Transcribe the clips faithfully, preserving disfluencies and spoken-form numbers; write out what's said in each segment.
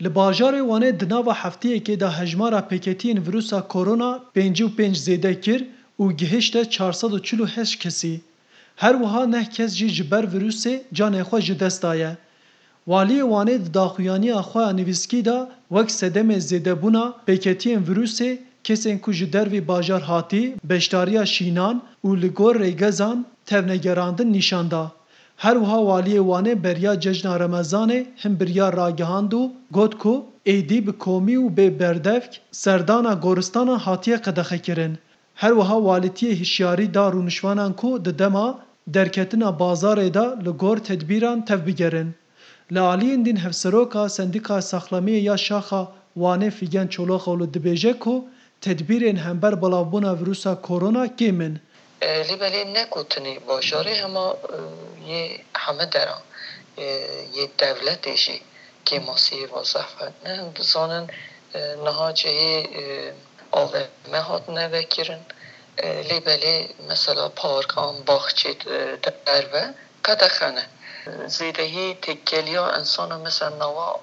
Li bajarê Wanê di nava hefteyekê de hejmara pêketiyên vîrusa korona pêncî û pênc zêde kir û gihişte çar sed û çil û heşt kesî. Her wiha neh kes jî ji ber vîrusê canê xwe ji dest daye. Waliyê Wanê di daxuyaniya xwe ya nivîskî de wek sedemê zêdebûna pêketiyên vîrusê kesên ku ji dervî bajar hatî, beşdariya şînan û li gor rêgezan tevnegerandin nîşan da. Her wiha Waliyê Wanê beriya cejna Remezanê hin biryar ragihand û got ku êdî bi komî û bê berdevk serdana goristanan hatiye qedexekirin. Her wiha Walîtiyê hişyarî da rûniştvanan ku di dema derketina bazarê de li gor tedbîran tevbigerin. Li aliyên din Hevseroka Sendîkaya Saxlemiyê ya Şaxa Wanê Fîgen Çolakoğlu dibêje ku tedbîrên hember belavbûna vîrusa korona kêm in. E, lê belê ne ku tenê bajarê hema, e, yê heme deran, e, yê dewletê jî kêmasiyê va zehf e. Ne em dizanin, e, niha cihê, e, A V M hatine vekirin. E, lê belê mesela parkan, baxçê, e, derve qedexe ne. Zêdehî têkeliya insana mesela nava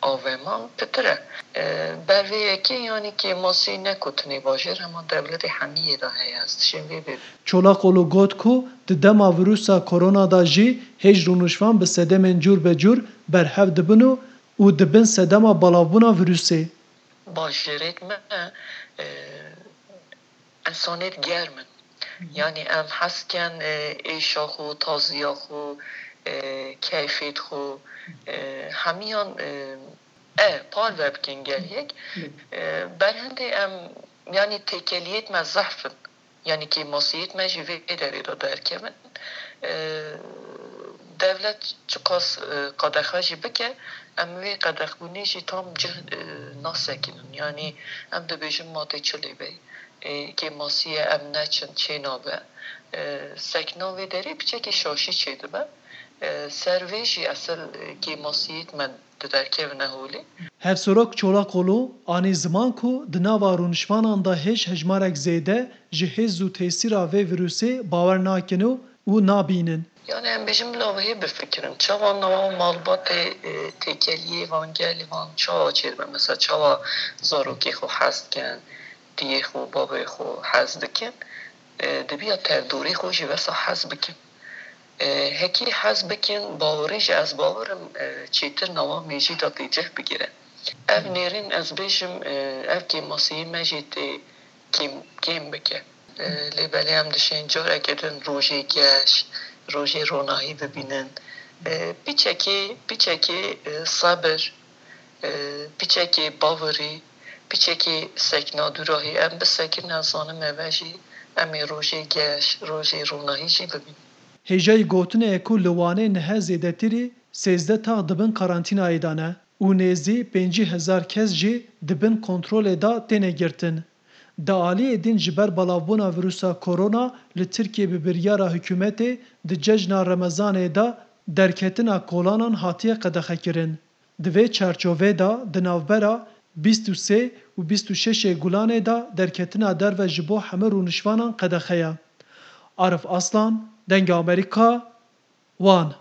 A V M'an pitir e. E, ber vê yekê yanî kêmasî ne ku tenê bajêr hema dewletê hemiyê de heye. Ez dişêm vê bê. Çolakoğlu got ku di dema vîrusa korona de jî hêj rûniştvan bi sedemên cûr be cûr berhev dibin û, û dibin sedema belavbûna vîrusê. Bajêrêt me, e, insanêt germ in. Yanî em hez ken, e, êşa xwe, taziya xwe, e, keyfêt xwe, e, hemiyan, e, e, parve bikin gel yek. E, berhendê em, yanî têkeliyêt me zehf in. Yanî kêmasiyêt me jî vê derê de derkevin. E, dewlet çiqas, e, qedexe jî bike, em wê qedexbûnê jî tam cih, e, nasekinin. Yanî em dibêjin ma tê çi lê bey. E, kêmasiyê em neçin, çê nabe. E, sekna vê derê piçekî şaşî çêdibe. E, ser vê jî esil, e, kêmasiyêt me diderkevine holê. Hevserok Çolakoğlu anî ziman ku di nava rûniştvanan de hêj hejmarek zêde ji hêz û tesîra vê vîrusê bawer nakin û, û nabînin. Yanî em bêjin bila wê bifikirin. Çawa nava malbatê, e, têkeliyê van gelê van çawa çêdibe? Mesela çawa zarokê xwe hez dikin, diyê xwe, bavê xwe hez dikin? E, dibiya tevdorê xwe jî wesa hez bikin. E, hekî hez bikin, bawerî jî ez bawer im, e, çêtir nava mêjî de tê cih bigire. Ev nêrîn ez bêjim, e, ev kêmasiyê me jî tê kêm, kêm bike. E, lê belê em dişên careke din rojê geş, rojê ronahî bibînin. E, piçekê, piçekê, e, sebir, e, piçekê bawerî, piçekê sekna dûrahî em bisekin, ez zanim eve jî em ê rojê geş, rojê ronahî jî bibînin. Hêjayî gotinê ye ku li Wanê niha zêdetirî sêzdeh tax di bin karantînayê de ne û nêzî pêncî hezar kes jî di bin kontrolê de têne girtin. Di aliyê din ji ber belavbûna vîrusa korona li Tirkiyê bi biryara hikûmetê di cejna Remezanê de derketina kolanan hatiye qedexekirin. Di vê çarçovê de di navbera bîst û sê û bîst û şeşê Gulanê de derketina derve ji bo hemû rûniştvanan qedexe ye. Arif Aslan, Dengê Amerîka, Wan.